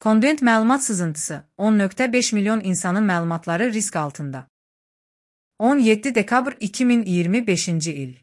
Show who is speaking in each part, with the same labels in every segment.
Speaker 1: Conduent məlumat sızıntısı 10.5 milyon insanın məlumatları risk altında. 17 dekabr 2025-ci il.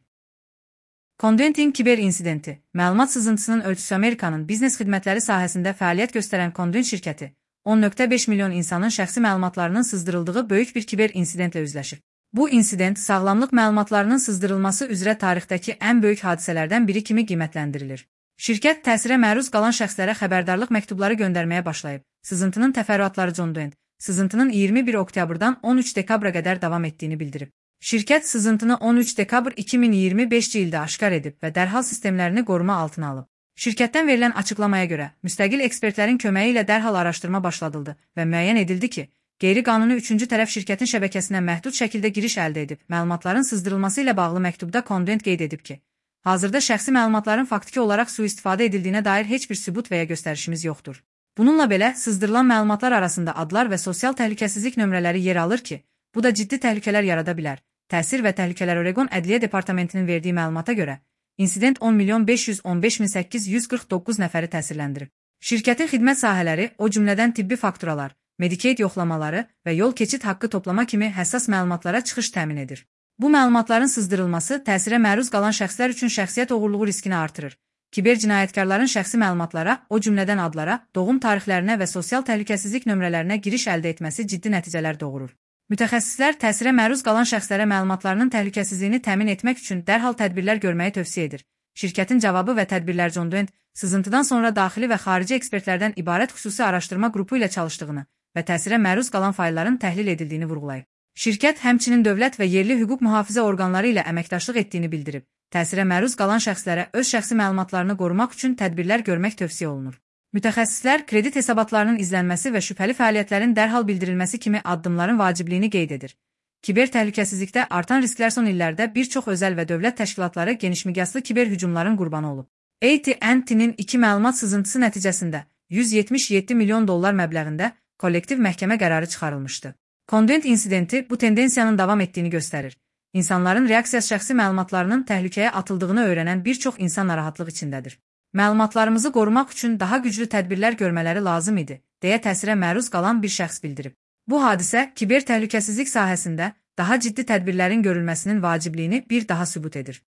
Speaker 1: Conduent'in kiber insidenti, məlumat sızıntısının ölçüsü Amerikanın biznes xidmətləri sahəsində fəaliyyət göstərən Conduent şirkəti, 10.5 milyon insanın şəxsi məlumatlarının sızdırıldığı böyük bir kiber insidentlə üzləşir. Bu insident sağlamlıq məlumatlarının sızdırılması üzrə tarixdəki ən böyük hadisələrdən biri kimi qiymətləndirilir. Şirkət təsirə məruz qalan şəxslərə xəbərdarlıq məktubları göndərməyə başlayıb. Sızıntının təfərrüatları John Doe, sızıntının 21 oktyabrdan 13 dekabra qədər davam etdiyini bildirib. Şirkət sızıntını 13 dekabr 2025-ci ildə aşkar edib və dərhal sistemlərini qoruma altına alıb. Şirkətdən verilən açıqlamaya görə, müstəqil ekspertlərin köməyi ilə dərhal araşdırma başladıldı və müəyyən edildi ki, qeyri-qanuni üçüncü tərəf şirkətin şəbəkəsinə məhdud şəkildə giriş əldə edib. Məlumatların sızdırılması ilə bağlı məktubda Conduent qeyd edib ki, hazırda şəxsi məlumatların faktiki olaraq sui-istifadə edildiyinə dair heç bir sübut və ya göstərişimiz yoxdur. Bununla belə, sızdırılan məlumatlar arasında adlar və sosial təhlükəsizlik nömrələri yer alır ki, bu da ciddi təhlükələr yarada bilər. Təsir və Təhlükələr Oregon Ədliyyə Departamentinin verdiyi məlumata görə, insident 10.515.849 nəfəri təsirləndirib. Şirkətin xidmət sahələri, o cümlədən tibbi fakturalar, Medicaid yoxlamaları və yol keçid haqqı toplama kimi həssas məlumatlara çıxış təmin edir. Bu məlumatların sızdırılması təsirə məruz qalan şəxslər üçün şəxsiyyət oğurluğu riskini artırır. Kiber cinayətkarların şəxsi məlumatlara, o cümlədən adlara, doğum tarixlərinə və sosial təhlükəsizlik nömrələrinə giriş əldə etməsi ciddi nəticələr doğurur. Mütəxəssislər təsirə məruz qalan şəxslərə məlumatlarının təhlükəsizliyini təmin etmək üçün dərhal tədbirlər görməyi tövsiyə edir. Şirkətin cavabı və tədbirlər John Doe, sızıntıdan sonra daxili və xarici ekspertlərdən ibarət xüsusi araşdırma qrupu ilə çalışdığını və təsirə məruz qalan faylların təhlil edildiyini vurğulayıb. Şirkət həmçinin dövlət və yerli hüquq mühafizə orqanları ilə əməkdaşlıq etdiyini bildirib. Təsirə məruz qalan şəxslərə öz şəxsi məlumatlarını qorumaq üçün tədbirlər görmək tövsiyə olunur. Mütəxəssislər kredit hesabatlarının izlənməsi və şübhəli fəaliyyətlərin dərhal bildirilməsi kimi addımların vacibliyini qeyd edir. Kiber təhlükəsizlikdə artan risklər son illərdə bir çox özəl və dövlət təşkilatları genişmiqyaslı kiber hücumların qurbanı olub. AT&T'nin 2 məlumat sızıntısı nəticəsində $177 milyon məbləğində kollektiv məhkəmə qərarı çıxarılmışdı. Conduent insidenti bu tendensiyanın davam etdiyini göstərir. İnsanların reaksiyası şəxsi məlumatlarının təhlükəyə atıldığını öyrənən bir çox insan narahatlıq içindədir. Məlumatlarımızı qorumaq üçün daha güclü tədbirlər görmələri lazım idi, deyə təsirə məruz qalan bir şəxs bildirib. Bu hadisə kiber təhlükəsizlik sahəsində daha ciddi tədbirlərin görülməsinin vacibliyini bir daha sübut edir.